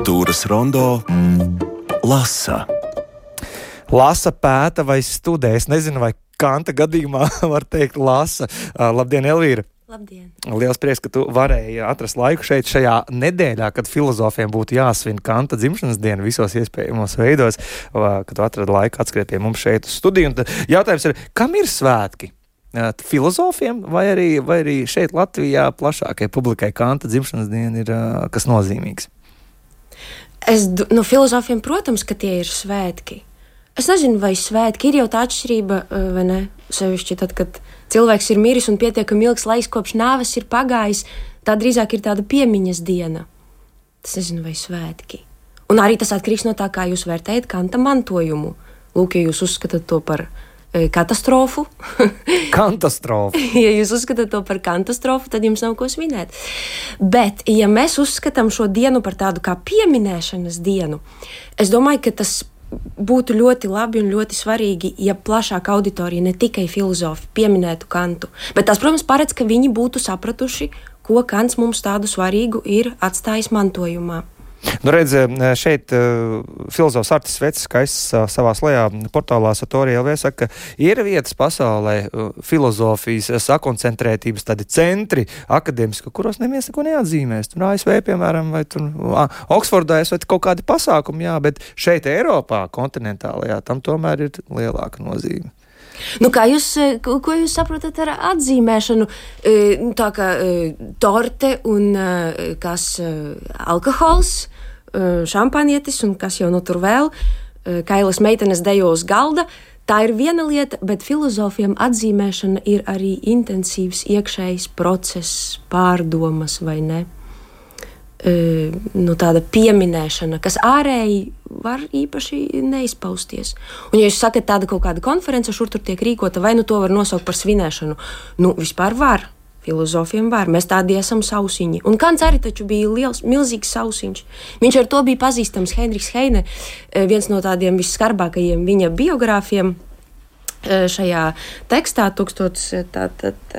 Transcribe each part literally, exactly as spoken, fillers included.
Kultūras rondo lasa. Lasa, pēta vai studē. Es nezinu, vai Kanta gadījumā var teikt lasa. Labdien, Elvīra! Labdien! Liels prieks, ka tu varēji atrast laiku šeit šajā nedēļā, kad filozofiem būtu jāsvin Kanta dzimšanas diena visos iespējamos veidos, kad tu atradi laiku atskriet pie mums šeit uz studiju. Un jautājums ir, kam ir svētki? Filozofiem vai arī, vai arī šeit Latvijā plašākai publikai Kanta dzimšanas diena ir kas nozīmīgs? Es, no filozofiem, protams, ka tie ir svētki. Es nezinu, vai svētki ir jau tā atšķirība, vai ne? Sevišķi tad, kad cilvēks ir miris un pietiekami ilgs laiks kopš nāves ir pagājis, tā drīzāk ir tāda piemiņas diena. Es nezinu, vai svētki. Un arī tas atkarīgs no tā, kā jūs vērtējat Kanta mantojumu. Lūk, ja jūs uzskatāt to par e, katastrofu. Katastrofu. Ja jūs uzskatāt to par katastrofu, tad jums nav ko svinēt. Bet, ja mēs uzskatām šo dienu par tādu kā pieminēšanas dienu, es domāju, ka tas būtu ļoti labi un ļoti svarīgi, ja plašāka auditorija, ne tikai filozofi, pieminētu Kantu. Bet tas, protams, paredz, ka viņi būtu sapratuši, ko Kants mums tādu svarīgu ir atstājis mantojumā. Nu, redz, šeit uh, filozofs Artis Vecis, kā es uh, savā slajā portālā Satori L V saka, ka ir vietas pasaulē uh, filozofijas sakoncentrētības tādi centri akadēmiski, kuros neviens neko neatzīmēs. Tur A S V, piemēram, vai tur uh, Oksfordā vai kaut kādi pasākumi, jā, bet šeit Eiropā, kontinentālajā, tam tomēr ir lielāka nozīme. Nu, kā jūs, ko jūs saprotat ar atzīmēšanu? Tā kā torte un kas alkohols, šampanietis un kas jau nu tur vēl, Kailas meitenes dejo uz galda. Tā ir viena lieta, bet filozofiem atzīmēšana ir arī intensīvs iekšējs process, pārdomas vai ne. Nu, tāda pieminēšana, kas ārēji var īpaši neizpausties. Un, ja jūs sakat tāda kaut kāda konference, šur tur tiek rīkota, vai nu to var nosaukt par svinēšanu? Nu, vispār var. Filozofiem var. Mēs tādi esam sausiņi. Un Kants arī taču bija liels, milzīgs sausiņš. Viņš ar to bija pazīstams. Heinrichs Heine, viens no tādiem visskarbākajiem viņa biogrāfiem šajā tekstā, tūkstots tātad...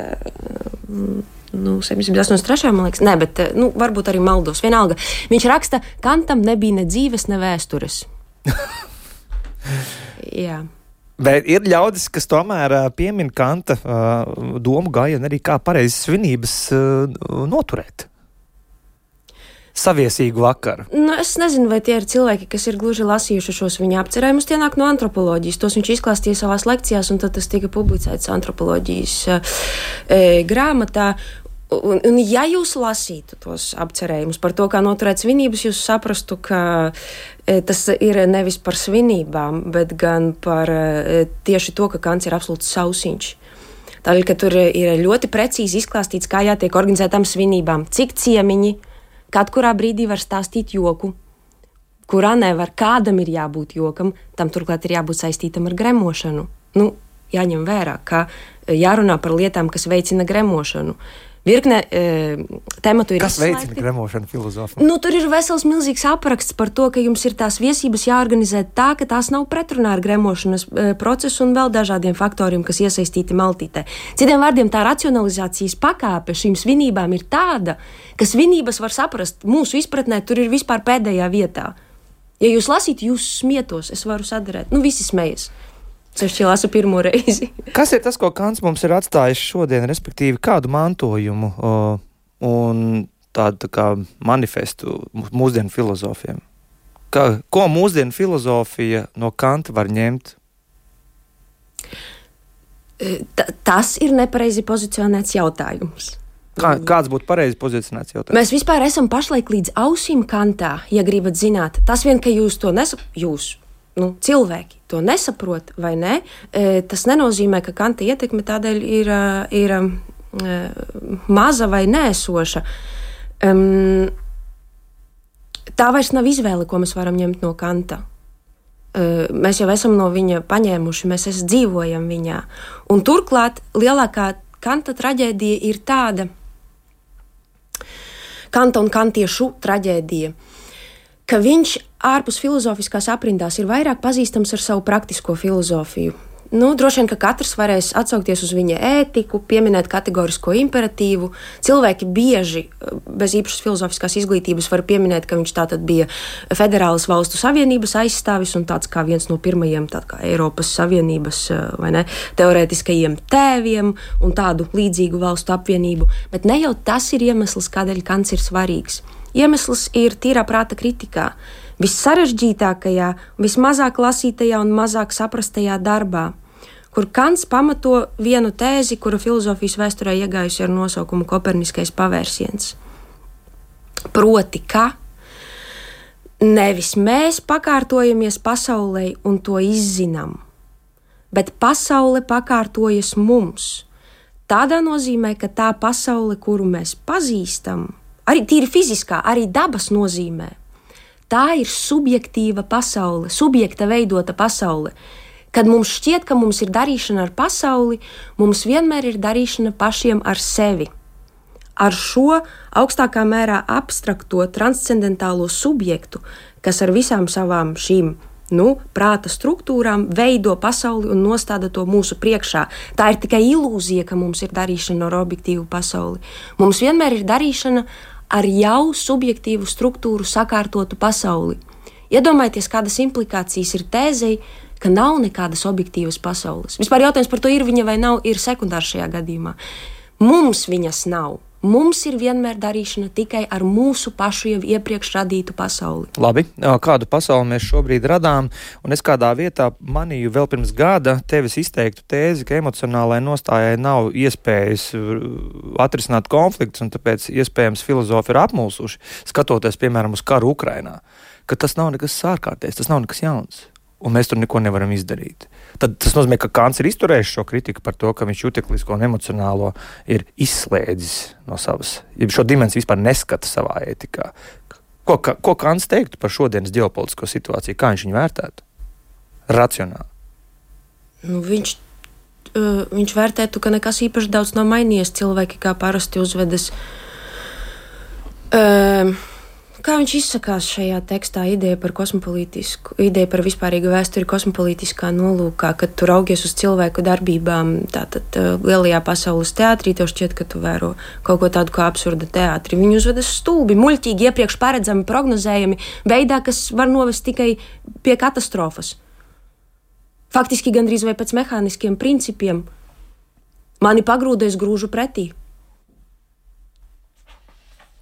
Nu, septiņdesmit astoņdesmit trešajā, man liekas, ne, bet, nu, varbūt arī maldos, vienalga. Viņš raksta, Kantam nebija ne dzīves, ne vēstures. Jā. Bet ir ļaudis, kas tomēr piemin Kanta uh, domu gājienu arī kā pareizes svinības uh, noturēt. Saviesīgu vakaru. Nu, es nezinu, vai tie ir cilvēki, kas ir gluži lasījuši šos viņa apcerējumus, tie nāk no antropoloģijas. Tos viņš izklāstīja savās lekcijās, un tad tas tika publicēts antropoloģijas e, grāmatā. Un, un ja jūs lasītu tos apcerējumus par to, kā noturēt svinības, jūs saprastu, ka e, tas ir nevis par svinībām, bet gan par e, tieši to, ka Kants ir absolūts sausiņš. Tādēļ, ka tur ir ļoti precīzi izklāstīts, kā jātiek organizētām svinībām, cik ciemiņi, kad kurā brīdī var stāstīt joku, kurā nevar, kādam ir jābūt jokam, tam turklāt ir jābūt saistītam ar gremošanu. Nu, jāņem vērā, ka jārunā par lietām, kas veicina gremošanu. Virkne e, tematu ir Kas izslēgti. veicina gremošanu filozofiem? Nu, tur ir vesels milzīgs apraksts par to, ka jums ir tās viesības jāorganizē tā, ka tās nav pretrunā ar gremošanas e, procesu un vēl dažādiem faktoriem, kas iesaistīti maltītē. Citiem vārdiem, tā racionalizācijas pakāpe šīm svinībām ir tāda, ka svinības var saprast mūsu izpratnē, tur ir vispār pēdējā vietā. Ja jūs lasītu, jūs smietos, es varu sadarēt. Nu, visi smejas. Sevišķi lasu pirmo reizi. Kas ir tas, ko Kants mums ir atstājis šodien, respektīvi kādu mantojumu o, un tādu tā kā manifestu mūsdienu filozofiem? Kā, ko mūsdienu filozofija no Kanta var ņemt? T- tas ir nepareizi pozicionēts jautājums. Kā, kāds būtu pareizi pozicionēts jautājums? Mēs vispār esam pašlaik līdz ausīm Kantā, ja gribat zināt. Tas vien, ka jūs to nesaprotat, jūs, nu, cilvēki to nesaprot vai ne, tas nenozīmē, ka Kanta ietekme tādēļ ir, ir maza vai nēsoša. Um, tā vairs nav izvēle, ko mēs varam ņemt no Kanta. Uh, mēs jau esam no viņa paņēmuši, mēs es dzīvojam viņā. Un turklāt lielākā Kanta traģēdija ir tāda, Kanta un kantiešu traģēdija, ka viņš ārpus filozofiskās aprindās ir vairāk pazīstams ar savu praktisko filozofiju. Nu, droši vien, ka katrs varēs atsaukties uz viņa ētiku, pieminēt kategorisko imperatīvu. Cilvēki bieži bez īpašas filozofiskās izglītības var pieminēt, ka viņš tātad bija Federālas valstu savienības aizstāvis un tāds kā viens no pirmajiem tā kā Eiropas Savienības vai ne, teorētiskajiem tēviem un tādu līdzīgu valstu apvienību. Bet ne jau tas ir iemesls, kādēļ Kants ir svarīgs. Iemesls ir tīrā prāta kritikā. Vissarežģītākajā, vismazāk lasītajā un mazāk saprastajā darbā, kur Kants pamato vienu tēzi, kura filozofijas vēsturē iegājusi ar nosaukumu Koperniskais pavērsiens. Proti, ka nevis mēs pakārtojamies pasaulē un to izzinām, bet pasaule pakārtojas mums. Tādā nozīmē, ka tā pasaule, kuru mēs pazīstam, arī tīri fiziskā, arī dabas nozīmē, tā ir subjektīva pasaule, subjekta veidota pasaule. Kad mums šķiet, ka mums ir darīšana ar pasauli, mums vienmēr ir darīšana pašiem ar sevi. Ar šo augstākā mērā abstrakto, transcendentālo subjektu, kas ar visām savām šīm nu, prāta struktūrām veido pasauli un nostāda to mūsu priekšā. Tā ir tikai ilūzija, ka mums ir darīšana ar objektīvu pasauli. Mums vienmēr ir darīšana ar jau subjektīvu struktūru sakārtotu pasauli. Iedomājieties, kādas implikācijas ir tēzei, ka nav nekādas objektīvas pasaules. Vispār jautājums par to ir viņa vai nav, ir sekundārs šajā gadījumā. Mums viņas nav. Mums ir vienmēr darīšana tikai ar mūsu pašu jau iepriekš radītu pasauli. Labi, kādu pasauli mēs šobrīd radām, un es kādā vietā manīju vēl pirms gada tevis izteiktu tēzi, ka emocionālai nostājai nav iespējas atrisināt konfliktus, un tāpēc iespējams filozofi ir apmulsuši, skatoties, piemēram, uz karu Ukrainā, ka tas nav nekas ārkārtējs, tas nav nekas jauns. Un mēs tur neko nevaram izdarīt. Tad tas nozīmē, ka Kants ir izturējis šo kritiku par to, ka viņš juteklisko un emocionālo ir izslēdzis no savas, ja šo dimensiju vispār neskata savā ētikā. Ko, ko Kants teiktu par šodienas ģeopolitisko situāciju? Kā viņš viņu vērtētu? Racionāli. Nu, viņš, uh, viņš vērtētu, ka nekas īpaši daudz nav mainījies. Cilvēki kā parasti uzvedas... Uh, Kā viņš izsakās šajā tekstā, ideja par kosmopolītisku, ideja par vispārīgu vēsturi kosmopolītiskā nolūkā, kad tu raugies uz cilvēku darbībām, tātad lielajā pasaules teātrī, tev šķiet, ka tu vēro kaut ko tādu kā absurda teātri. Viņi uzvedas stulbi, muļķīgi, iepriekš paredzami, prognozējami, veidā, kas var novest tikai pie katastrofas. Faktiski gandrīz vai pēc mehāniskiem principiem. Mani pagrūdēs grūžu pretī.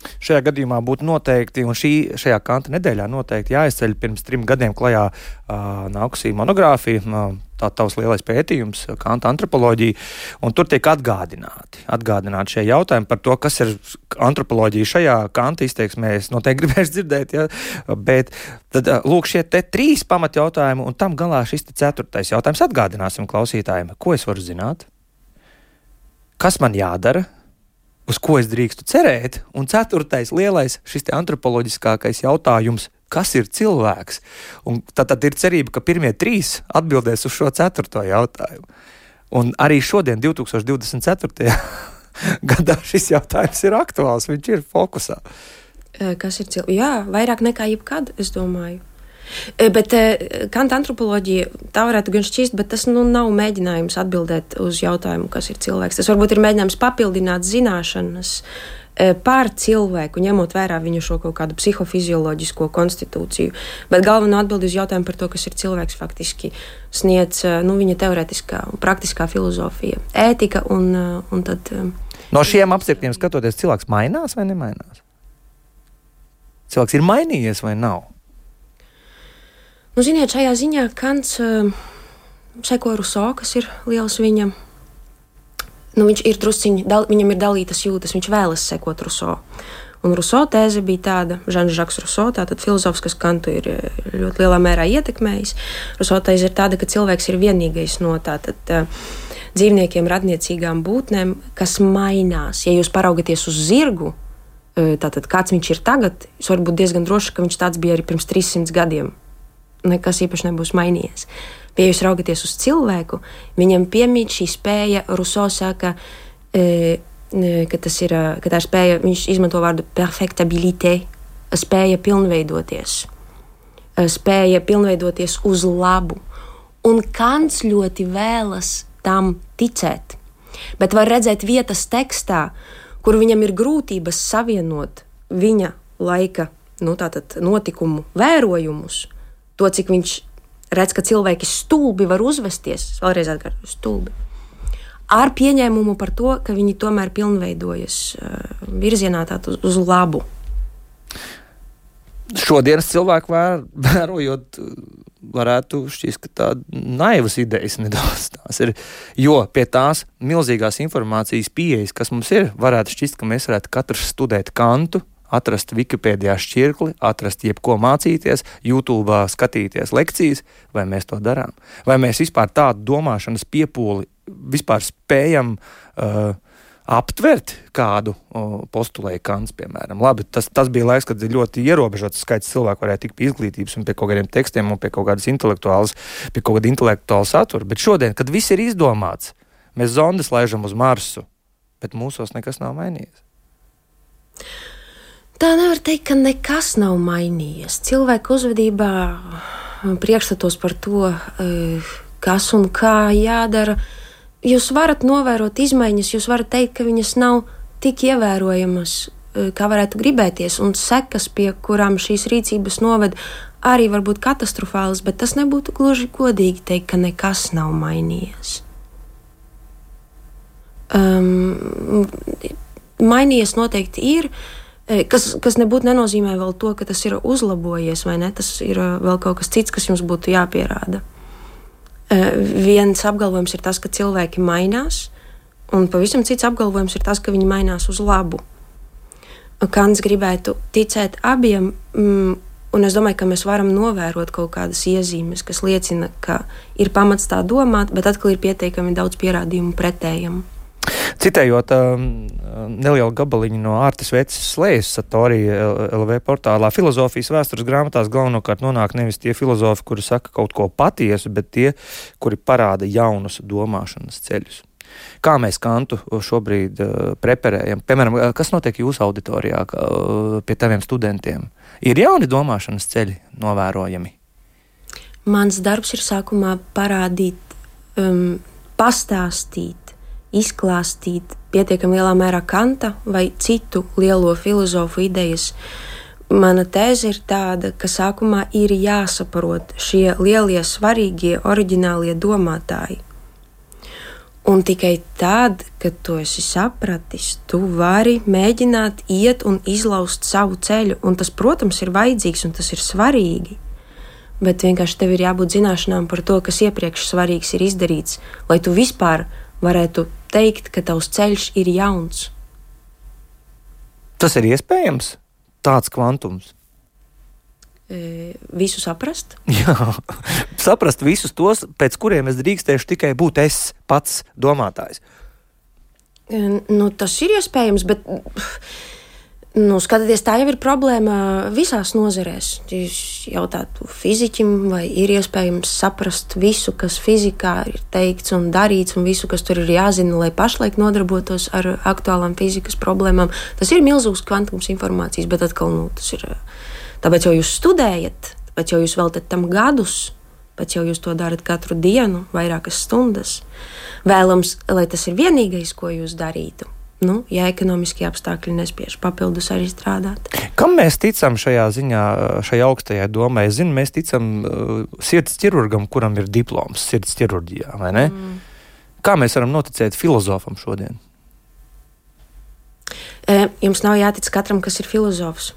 Šajā gadījumā būtu noteikti, un šī, šajā Kanta nedēļā noteikti jāizceļ pirms trim gadiem klajā uh, nākusī monogrāfija, uh, tā tavs lielais pētījums, Kanta antropoloģija, un tur tiek atgādināti, atgādināti šie jautājumi par to, kas ir antropoloģija šajā Kanta izteiksmē, es noteikti gribēšu dzirdēt, ja, bet tad uh, lūk šie te trīs pamatjautājumi, un tam galā šis te ceturtais jautājums atgādināsim klausītājiem, ko es varu zināt, kas man jādara, uz ko es drīkstu cerēt, un ceturtais lielais šis te antropoloģiskākais jautājums, kas ir cilvēks? Un tad, tad ir cerība, ka pirmie trīs atbildēs uz šo ceturto jautājumu. Un arī šodien, divtūkstoš divdesmit ceturtajā gadā, šis jautājums ir aktuāls, viņš ir fokusā. Kas ir cilvēks? Jā, vairāk nekā jebkad, es domāju. Bet Kanta antropoloģija, tā varētu gan šķist, bet tas nu, nav mēģinājums atbildēt uz jautājumu, kas ir cilvēks. Tas varbūt ir mēģinājums papildināt zināšanas par cilvēku, ņemot vērā viņu šo kaut kādu psihofizioloģisko konstitūciju. Bet galvenā atbilde uz jautājumu par to, kas ir cilvēks, faktiski sniedz nu, viņa teorētiskā un praktiskā filozofija, ētika un, un tad... No šiem apstākļiem skatoties, cilvēks mainās vai nemainās? Cilvēks ir mainījies vai nav? Nu, ziniet, šajā ziņā Kants uh, seko Rousseau, kas ir liels viņa. Nu, viņš ir drusciņi, dal, viņam ir dalītas jūtas, viņš vēlas sekot Rousseau. Un Rousseau tēze bija tāda, Žans Žaks Rousseau, tātad filozofs, kas Kantu ir ļoti lielā mērā ietekmējis. Rousseau tēze ir tāda, ka cilvēks ir vienīgais no tātad uh, dzīvniekiem, radniecīgām būtnēm, kas mainās. Ja jūs paraugaties uz zirgu, uh, tātad kāds viņš ir tagad, jūs varat būt diezgan droši, ka viņš tāds bija arī pirms trīssimts gadiem. Nekas īpaši nebūs mainījies. Ja jūs raugaties uz cilvēku, viņam piemīt šī spēja, Rousseau saka, e, ka tas ir, ka tā ir spēja, viņš izmanto vārdu perfectabilité, spēja pilnveidoties. Spēja pilnveidoties uz labu. Un Kants ļoti vēlas tam ticēt. Bet var redzēt vietas tekstā, kur viņam ir grūtības savienot viņa laika nu, tātad, notikumu vērojumus, to, cik viņš redz, ka cilvēki stulbi var uzvesties, vēlreiz atkārtoju, stulbi, ar pieņēmumu par to, ka viņi tomēr pilnveidojas uh, virzienā tātad uz, uz labu. Šodienas cilvēku vēr, vērojot, varētu šķist, ka tāda naivas idejas nedaudz tās ir, jo pie tās milzīgās informācijas pieejas, kas mums ir, varētu šķist, ka mēs varētu katrs studēt Kantu, atrast Wikipēdijā šķirkli, atrast jebko mācīties, YouTube skatīties lekcijas, vai mēs to darām? Vai mēs vispār tādu domāšanas piepūli vispār spējam uh, aptvert kādu uh, postulēju Kants, piemēram? Labi, tas, tas bija laiks, kad ļoti ierobežots skaits cilvēku varēja tikt pie izglītības un pie kaut kādiem tekstiem un pie kaut kādas intelektuālas, pie kaut kāda intelektuāla satura, bet šodien, kad viss ir izdomāts, mēs zondes laižam uz Marsu, bet mūsos nekas nav mainījies. Tā nevar teikt, ka nekas nav mainījies. Cilvēku uzvedībā, priekšstatos par to, kas un kā jādara, jūs varat novērot izmaiņas, jūs varat teikt, ka viņas nav tik ievērojamas, kā varētu gribēties, un sekas, pie kurām šīs rīcības noved, arī var būt katastrofālas, bet tas nebūtu gluži godīgi teikt, ka nekas nav mainījies. Um, mainījies noteikti ir, Kas, kas nebūtu nenozīmē vēl to, ka tas ir uzlabojies, vai ne? Tas ir vēl kaut kas cits, kas jums būtu jāpierāda. Viens apgalvojums ir tas, ka cilvēki mainās, un pavisam cits apgalvojums ir tas, ka viņi mainās uz labu. Kants gribētu ticēt abiem, un es domāju, ka mēs varam novērot kaut kādas iezīmes, kas liecina, ka ir pamats tā domāt, bet atkal ir pietiekami daudz pierādījumu pretējam. Citējot um, nelielu gabaliņu no Ārtes Veces Slējas Satori L V portālā, filozofijas vēstures grāmatās galvenokārt nonāk nevis tie filozofi, kuri saka kaut ko patiesu, bet tie, kuri parāda jaunus domāšanas ceļus. Kā mēs Kantu šobrīd uh, preparējam? Piemēram, kas notiek jūsu auditorijā uh, pie taviem studentiem? Ir jauni domāšanas ceļi novērojami? Mans darbs ir sākumā parādīt, um, pastāstīt, izklāstīt pietiekami lielā mērā Kanta vai citu lielo filozofu idejas. Mana tēze ir tāda, ka sākumā ir jāsaprot šie lielie, svarīgie, oriģinālie domātāji. Un tikai tad, kad tu esi sapratis, tu vari mēģināt iet un izlaust savu ceļu. Un tas, protams, ir vajadzīgs un tas ir svarīgi. Bet vienkārši tev ir jābūt zināšanām par to, kas iepriekš svarīgs ir izdarīts, lai tu vispār varētu teikt, ka tavs ceļš ir jauns. Tas ir iespējams? Tāds kvantums? E, visu saprast? Jā, saprast visus tos, pēc kuriem es drīkstēšu tikai būt es pats domātājs. E, nu, tas ir iespējams, bet... Nu, skatieties, tā jau ir problēma visās nozarēs. Jūs jautātu fiziķim, vai ir iespējams saprast visu, kas fizikā ir teikts un darīts, un visu, kas tur ir jāzina, lai pašlaik nodarbotos ar aktuālām fizikas problēmām. Tas ir milzīgs kvantums informācijas, bet atkal, nu, tas ir tāpēc jau jūs studējat, tāpēc jau jūs veltat tam gadus, pēc jau jūs to darat katru dienu, vairākas stundas. Vēlams, lai tas ir vienīgais, ko jūs darītu. Nu, ja ekonomiskie apstākļi nespiež papildus arī strādāt. Kam mēs ticam šajā ziņā, šajā augstajā domā? Es zinu, mēs ticam uh, sirds ķirurgam, kuram ir diploms sirds ķirurģijā, vai ne? Mm. Kā mēs varam noticēt filozofam šodien? E, jums nav jātic katram, kas ir filozofs,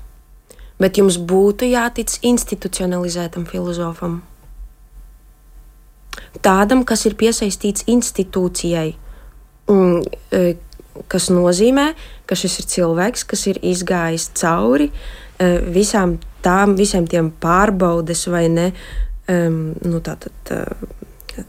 bet jums būtu jātic institucionalizētam filozofam. Tādam, kas ir piesaistīts institūcijai, un, e, kas nozīmē, ka šis ir cilvēks, kas ir izgājis cauri uh, visām tām, visiem tiem pārbaudes vai ne, um, nu tātad uh,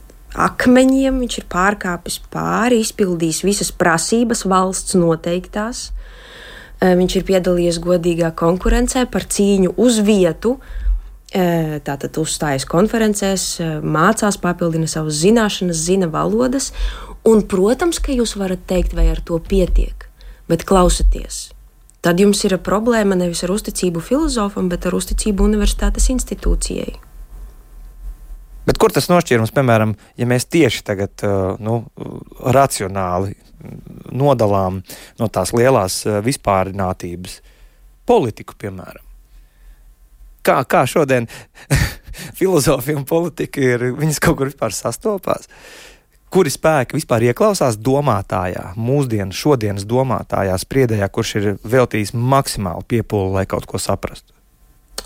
akmeņiem, viņš ir pārkāpis pāri, izpildījis visas prasības valsts noteiktās, uh, viņš ir piedalījies godīgā konkurencē par cīņu uz vietu, uh, tātad uzstājas konferencēs, uh, mācās, papildina savas zināšanas, zina valodas. Un, protams, ka jūs varat teikt, vai ar to pietiek, bet klausieties. Tad jums ir problēma nevis ar uzticību filozofam, bet ar uzticību universitātes institūcijai. Bet kur tas nošķīrums, piemēram, ja mēs tieši tagad nu, racionāli nodalām no tās lielās vispārinātības politiku, piemēram? Kā, kā šodien filozofija un politika ir, viņas kaut kur vispār sastopās? Kuri spēki vispār ieklausās domātājā, mūsdienu, šodienas domātājā, spriedējā, kurš ir veltījis maksimāli piepūli, lai kaut ko saprastu?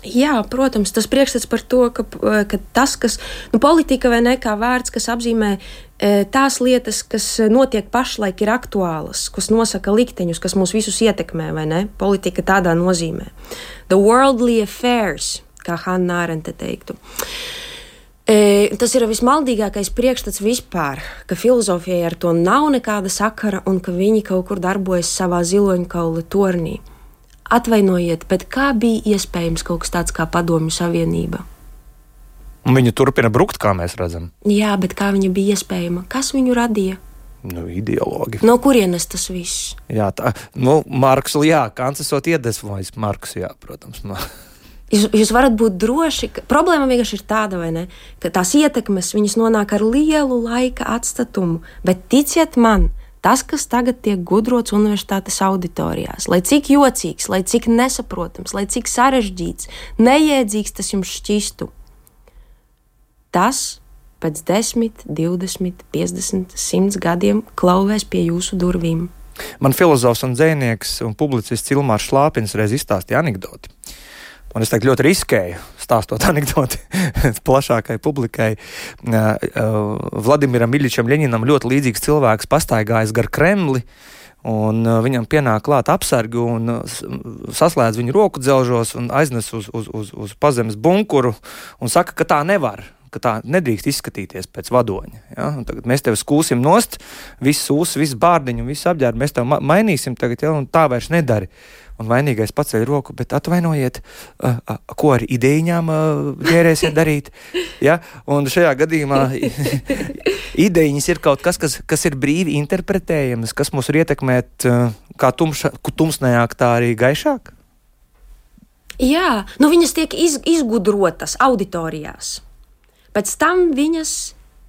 Jā, protams, tas priekšstats par to, ka, ka tas, kas, nu, politika vai ne kā vārds, kas apzīmē e, tās lietas, kas notiek pašlaik, ir aktuālas, kas nosaka likteņus, kas mūs visus ietekmē, vai ne? Politika tādā nozīmē. The worldly affairs, kā Hannah Arendte teiktu. E, tas ir vismaldīgākais priekšstats vispār, ka filozofijai ar to nav nekāda sakara un ka viņi kaut kur darbojas savā ziloņkaula tornī. Atvainojiet, bet kā bija iespējams kaut kas tāds kā Padomju Savienība? Un viņa turpina brukt, kā mēs redzam. Jā, bet kā viņa bija iespējama? Kas viņu radīja? Nu, ideologi. No kurienes tas viss? Jā, tā, nu, Marksu, jā, Kants esot iedvesmojis Marksu, jā, protams. Jūs, jūs varat būt droši, ka problēma vienkārši ir tāda, vai ne, ka tās ietekmes, viņas nonāk ar lielu laika atstatumu, bet ticiet man, tas, kas tagad tiek gudrots universitātes auditorijās, lai cik jocīgs, lai cik nesaprotams, lai cik sarežģīts, neiedzīgs tas jums šķistu, tas pēc desmit, divdesmit, piecdesmit, simts gadiem klauvēs pie jūsu durvīm. Man filozofs un dzejnieks un publicists Ilmārs Šlāpins reiz izstāstīja anekdoti. Un es tagad ļoti riskēju, stāstot anekdoti plašākai publikai. Vladimiram Iļičam Ļeņinam ļoti līdzīgs cilvēks pastaigājis gar Kremli, un viņam pienāk klāt apsargi un saslēdz viņu roku dzelžos un aiznes uz, uz, uz, uz pazemes bunkuru un saka, ka tā nevar, ka tā nedrīkst izskatīties pēc vadoņa. Ja? Tagad mēs tevi skūsim nost, visu ūsu, visu bārdiņu, visu apģērbu, mēs tevi ma- mainīsim tagad, ja? Un tā vairs nedari. Un vainīgais paceļ roku, bet atvainojiet, uh, uh, ko ar idejņām uh, ģērēsiet darīt. Ja? Un šajā gadījumā idejņas ir kaut kas, kas, kas ir brīvi interpretējams, kas mūs var ietekmēt uh, kā tumša, tumsnējāk, tā arī gaišāk. Jā, nu viņas tiek iz, izgudrotas auditorijās. Pēc tam viņas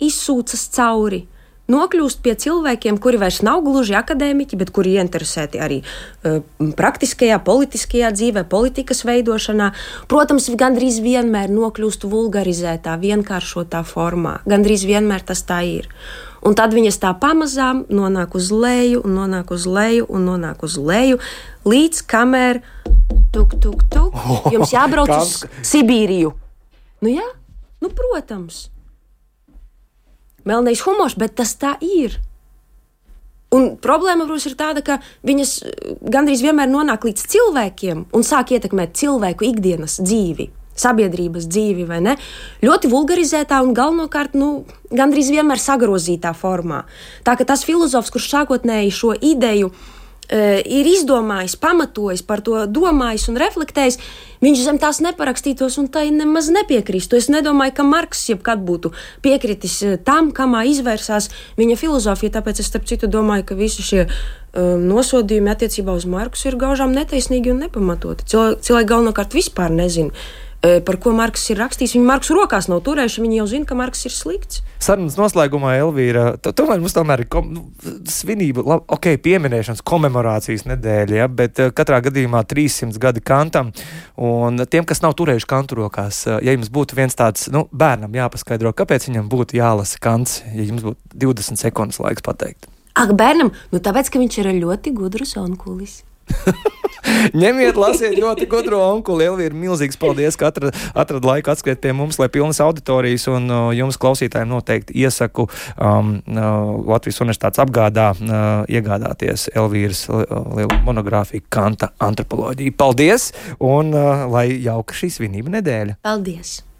izsūcas cauri. Nokļūst pie cilvēkiem, kuri vairs nav gluži akadēmiķi, bet kuri ieinteresēti arī uh, praktiskajā, politiskajā dzīvē, politikas veidošanā. Protams, gandrīz vienmēr nokļūst vulgarizētā, vienkāršotā formā. Gandrīz vienmēr tas tā ir. Un tad viņas tā pamazām nonāk uz leju, un nonāk uz leju, un nonāk uz leju, līdz kamēr tuk, tuk, tuk, jums jābrauc uz Sibīriju. Nu jā, nu protams. Melnais humors, bet tas tā ir. Un problēma, protams, ir tāda, ka viņas gandrīz vienmēr nonāk līdz cilvēkiem un sāk ietekmēt cilvēku ikdienas dzīvi, sabiedrības dzīvi, vai ne? Ļoti vulgarizētā un galvenokārt, nu, gandrīz vienmēr sagrozītā formā. Tā ka tas filozofs, kurš sākotnēji šo ideju ir izdomājis, pamatojis, par to domājis un reflektējis, viņš zem tās neparakstītos un tai nemaz nepiekristu. Es nedomāju, ka Marks jebkad būtu piekritis tam, kamā izvērsās viņa filozofija, tāpēc es starp citu domāju, ka visi šie um, nosodījumi attiecībā uz Marksu ir gaužām netaisnīgi un nepamatoti. Cilvēki, cilvēki galvenokārt vispār nezina, par ko Marks ir rakstījis. Viņi Marksu rokās nav turējuši, viņi jau zina, ka Marks ir slikts. Sarunas noslēgumā, Elvīra, tomēr mums tomēr ir kom, nu, svinība, labi, ok, pieminēšanas, komemorācijas nedēļa, ja, bet uh, katrā gadījumā trīssimts gadi Kantam, un tiem, kas nav turējuši Kantu rokās, uh, ja jums būtu viens tāds, nu, bērnam jāpaskaidro, kāpēc viņam būtu jālasa Kants, ja jums būtu divdesmit sekundes laiks pateikt. Ak, bērnam, nu tāpēc, ka viņš ir ļoti gudrs onkulis. Ņemiet, lasiet ļoti gudro onkuli. Elvīra, milzīgs paldies, ka atrad, atrad laiku atskriet pie mums, lai pilnas auditorijas, un uh, jums klausītājiem noteikti iesaku um, uh, Latvijas Universitātes apgādā uh, iegādāties Elvīras lielu monogrāfiju Kanta antropoloģija. Paldies, un uh, lai jauka šī svinība nedēļa. Paldies!